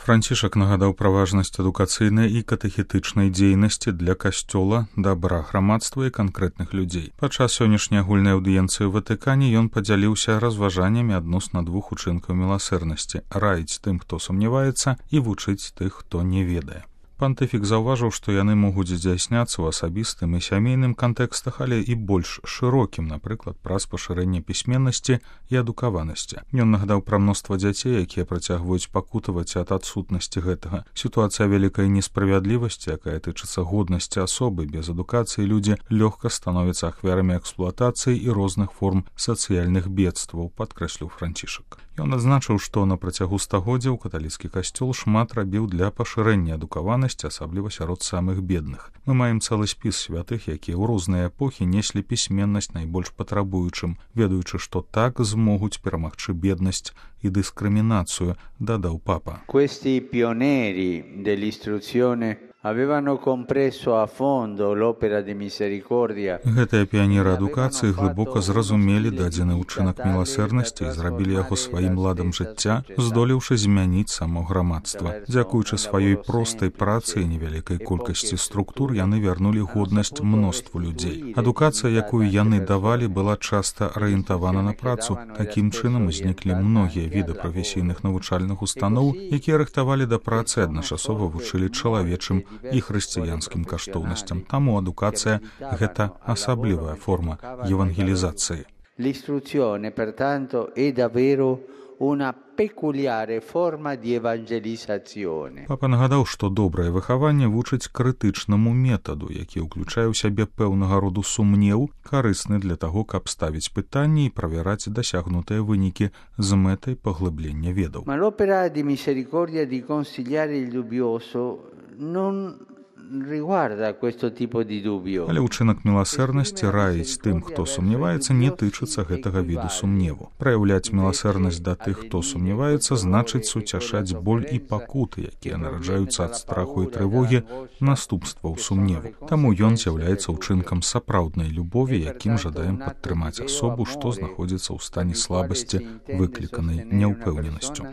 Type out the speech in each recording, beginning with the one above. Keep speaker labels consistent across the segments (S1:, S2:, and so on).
S1: Францішак нагадаў пра важнасць адукацыйнай і катэхетычнай дзейнасці для касцёла, дабра грамадства і канкрэтных людзей. Падчас сённяшняй агульнай аўдыенцыі ў Ватыкане ён падзяліўся разважаннямі адносна двух учынкаў міласэрнасці: раіць тым, хто сумняваецца, і вучыць тых, хто не ведае. Пантыфік заўважыў, што яны могуць здзяйсняцца ў асабістым і сямейным кантэкстах, але і больш шырокім, напрыклад, праз пашырэнне пісьменнасці і адукаванасці. Ён нагадаў пра мноства дзяцей, якія працягваюць пакутаваць ад адсутнасці гэтага. Сітуацыя вялікай несправядлівасці, якая тычыцца годнасці асобы. Без адукацыі людзі лёгка становяцца ахвярамі эксплуатацыі і розных форм сацыяльных бедстваў, падкрэсліў Францішак. Ён адзначыў, што на працягу стагоддзяў каталіцкі касцёл шмат рабіў для пашырэння адукаванасці, асабліва сярод самых бедных. Мы маем цэлы спіс святых, якія ў розныя эпохі неслі пісьменнасць найбольш патрабуючым, ведаючы, што так змогуць перамагчы беднасць і дыскрымінацыю, дадаў папа.
S2: Questi pionieri dell'istruzione avevano compreso a fondo l'opera di misericordia.
S1: Гэтыя піянеры адукацыі глыбока зразумелі дадзены ўчынак міласэрнасці і зрабілі яго сваім ладам жыцця, здолеўшы змяніць само грамадства. Дзякуючы сваёй простай працы і невялікай колькасці структур, яны вярнулі годнасць мноству людзей. Адукацыя, якую яны давалі, была часта арыентавана на працу. Такім чынам узніклі многія віды прафесійных навучальных устаноў, якія рыхтавалі да працы, адначасова вучылі чалавечым і хрысціянскім каштоўнасцям. Таму адукацыя – гэта асаблівая форма евангелізацыі.
S2: L'istruzione, pertanto, è davvero una peculiare forma di evangelizzazione.
S1: Папа нагадаў, што добрае выхаванне вучыць крытычнаму метаду, які ўключае ў сябе пэўнага роду сумнеў, карысны для таго, каб ставіць пытанні і правяраць дасягнутыя вынікі з мэтай паглыблення ведаў.
S2: Ma l'opera di misericordia di consigliare il dubbioso non riguarda questo tipo di dubbio.
S1: Але ўчынак міласэрнасці раіць тым, хто сумняваецца, не тычыцца гэтага віду сумневу. Праяўляць міласэрнасць да тых, хто сумняваецца, значыць суцяшаць боль і пакуты, якія нараджаюцца ад страху і трывогі, наступстваў сумневу. Таму ён з'яўляецца ўчынкам сапраўднай любові, якім жадаем падтрымаць асобу, што знаходзіцца ў стане слабасці, выкліканай няўпэўненасцю.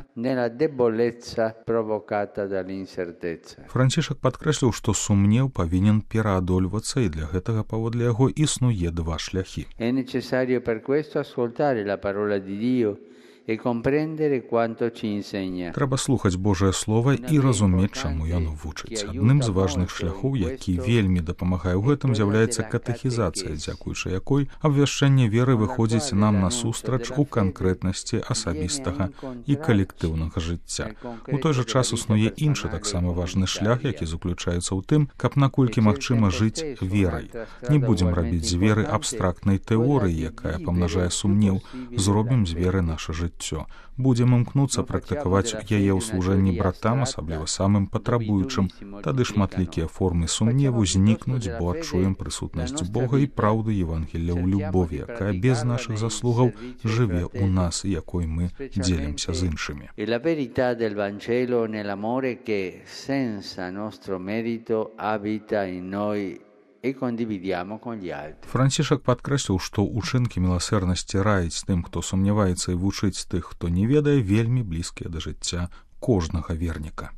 S1: Францішак падкрэсліў, што сумнеў павінен пераадольвацца, і для гэтага, паводле яго, існуе два шляхі.
S2: È necessario per questo ascoltare la parola di Dio e comprendere quanto ci insegna.
S1: Трэба слухаць Божае Слова і разумець, чаму яно вучыць. Адным з важных шляхоў, які вельмі дапамагае ў гэтым, з'яўляецца катэхізацыя, дзякуючы якой абвяшчэнне веры выходзіць нам насустрач у канкрэтнасці асабістага і калектыўнага жыцця. У той жа час існуе іншы таксама важны шлях, які заключаецца ў тым, каб наколькі магчыма жыць верай. Не будзем рабіць з веры абстрактнай тэорыі, якая памнажае сумнеў, зробім з веры наша жыццё. Будзем імкнуцца практыкаваць яе ў служэнні братам, асабліва самым патрабуючым. Тады шматлікія формы сумневу знікнуць, бо адчуем прысутнасць Бога і праўды Евангелія ў любові, якая без нашых заслугаў жыве ў нас, якой мы дзелімся з іншымі.
S2: E la verità del Vangelo nell'amore che senza nostro merito abita in noi.
S1: Францішак падкрэсліў, што ўчынкі міласэрнасці раіць тым, хто сумняваецца, і вучыць тых, хто не ведае, вельмі блізкія да жыцця кожнага верніка.